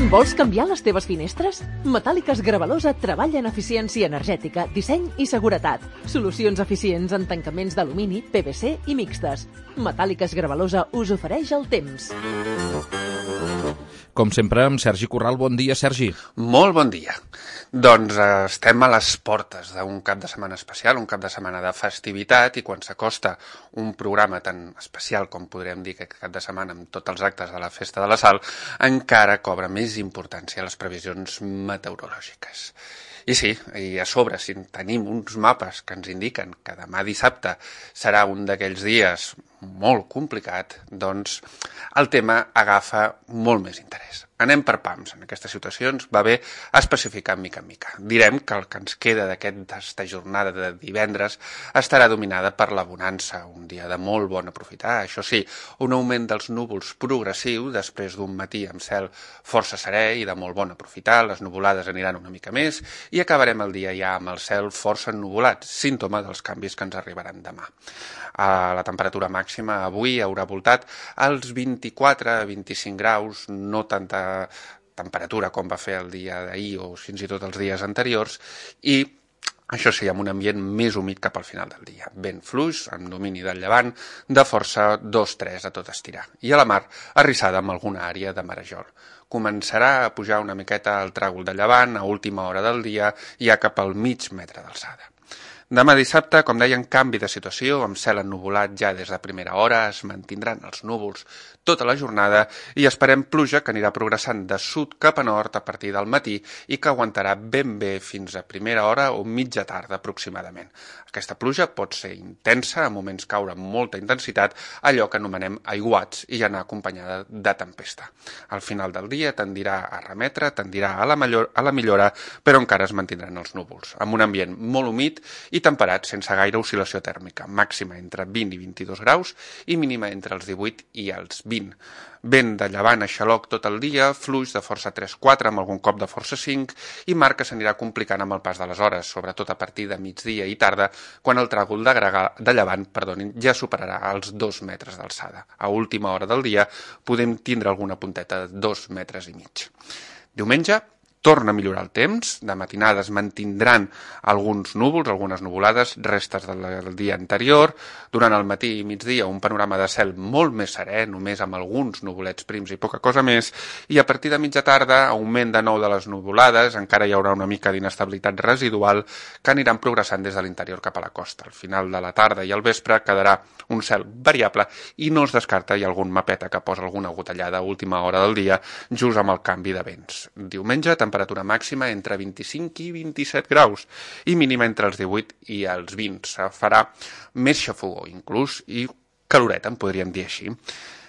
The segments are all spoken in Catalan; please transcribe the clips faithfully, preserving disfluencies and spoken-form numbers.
Vols canviar les teves finestres? Metàl·liques Gravalosa treballa en eficiència energètica, disseny i seguretat. Solucions eficients en tancaments d'alumini, P V C i mixtes. Metàl·liques Gravalosa us ofereix el temps. Com sempre, amb Sergi Corral. Bon dia, Sergi. Molt bon dia. Doncs eh, estem a les portes d'un cap de setmana especial, un cap de setmana de festivitat, i quan s'acosta un programa tan especial com podríem dir que cap de setmana amb tots els actes de la Festa de la Sal, encara cobra més importància les previsions meteorològiques. I sí, i a sobre, si tenim uns mapes que ens indiquen que demà dissabte serà un d'aquells dies molt complicat, doncs el tema agafa molt més interès. Anem per pams. En aquestes situacions va bé especificar mica en mica. Direm que el que ens queda d'aquesta jornada de divendres estarà dominada per la bonança, un dia de molt bon aprofitar. Això sí, un augment dels núvols progressiu després d'un matí amb cel força serè i de molt bon aprofitar. Les nuvolades aniran una mica més i acabarem el dia ja amb el cel força ennuvolat, símptoma dels canvis que ens arribaran demà. La temperatura màxima avui haurà voltat als vint-i-quatre a vint-i-cinc graus, no tanta temperatura com va fer el dia d'ahir o fins i tot els dies anteriors, i això sí, amb un ambient més humit cap al final del dia. Vent fluix, amb domini del llevant, de força dos tres a tot estirar. I a la mar, arrissada amb alguna àrea de marejol. Començarà a pujar una miqueta el tràgol de llevant a última hora del dia, ja cap al mig metre d'alçada. Demà dissabte, com deien, canvi de situació, amb cel ennuvolat ja des de primera hora, es mantindran els núvols tota la jornada i esperem pluja que anirà progressant de sud cap a nord a partir del matí i que aguantarà ben bé fins a primera hora o mitja tarda aproximadament. Aquesta pluja pot ser intensa, a moments caure amb molta intensitat, allò que anomenem aiguats, i anar acompanyada de tempesta. Al final del dia tendirà a remetre, tendirà a la, millor, a la millora, però encara es mantindran els núvols, amb un ambient molt humit i temperat sense gaire oscil·lació tèrmica, màxima entre vint i vint-i-dos graus i mínima entre els divuit i els vint. Vent de llevant a xaloc tot el dia, fluix de força tres quatre amb algun cop de força cinc, i mar que s'anirà complicant amb el pas de les hores, sobretot a partir de migdia i tarda, quan el tràgol de, grega, de llevant perdonin, ja superarà els dos metres d'alçada. A última hora del dia podem tindre alguna punteta de dos metres i mig. Diumenge torna a millorar el temps, de matinada es mantindran alguns núvols, algunes nuvolades, restes del dia anterior, durant el matí i migdia un panorama de cel molt més serè, només amb alguns nuvolets prims i poca cosa més, i a partir de mitja tarda, augment de nou de les nuvolades, encara hi haurà una mica d'inestabilitat residual que aniran progressant des de l'interior cap a la costa. Al final de la tarda i al vespre quedarà un cel variable i no es descarta hi ha algun mapeta que posa alguna gotellada a última hora del dia, just amb el canvi de vents. Diumenge, temperatura màxima entre vint-i-cinc i vint-i-set graus i mínima entre els divuit i els vint. Se farà més xafogó inclús i caloreta, en podríem dir així.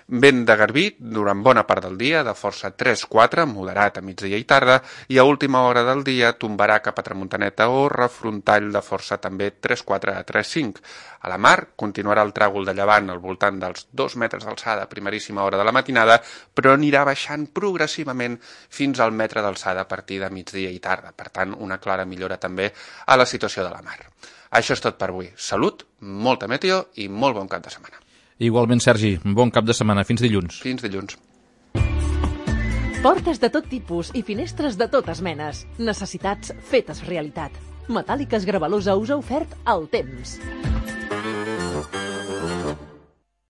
Vent de garbí durant bona part del dia, de força tres quatre, moderat a migdia i tarda, i a última hora del dia tombarà cap a tramuntaneta o refrontall de força també tres quatre a tres cinc. A la mar continuarà el tràgol de llevant al voltant dels dos metres d'alçada a primeríssima hora de la matinada, però anirà baixant progressivament fins al metre d'alçada a partir de migdia i tarda. Per tant, una clara millora també a la situació de la mar. Això és tot per avui. Salut, molta meteo i molt bon cap de setmana. Igualment, Sergi, bon cap de setmana. Fins dilluns. Fins dilluns. Portes de tot tipus i finestres de totes menes. Necessitats fetes realitat. Metàl·liques Gravalosa us ha ofert el temps.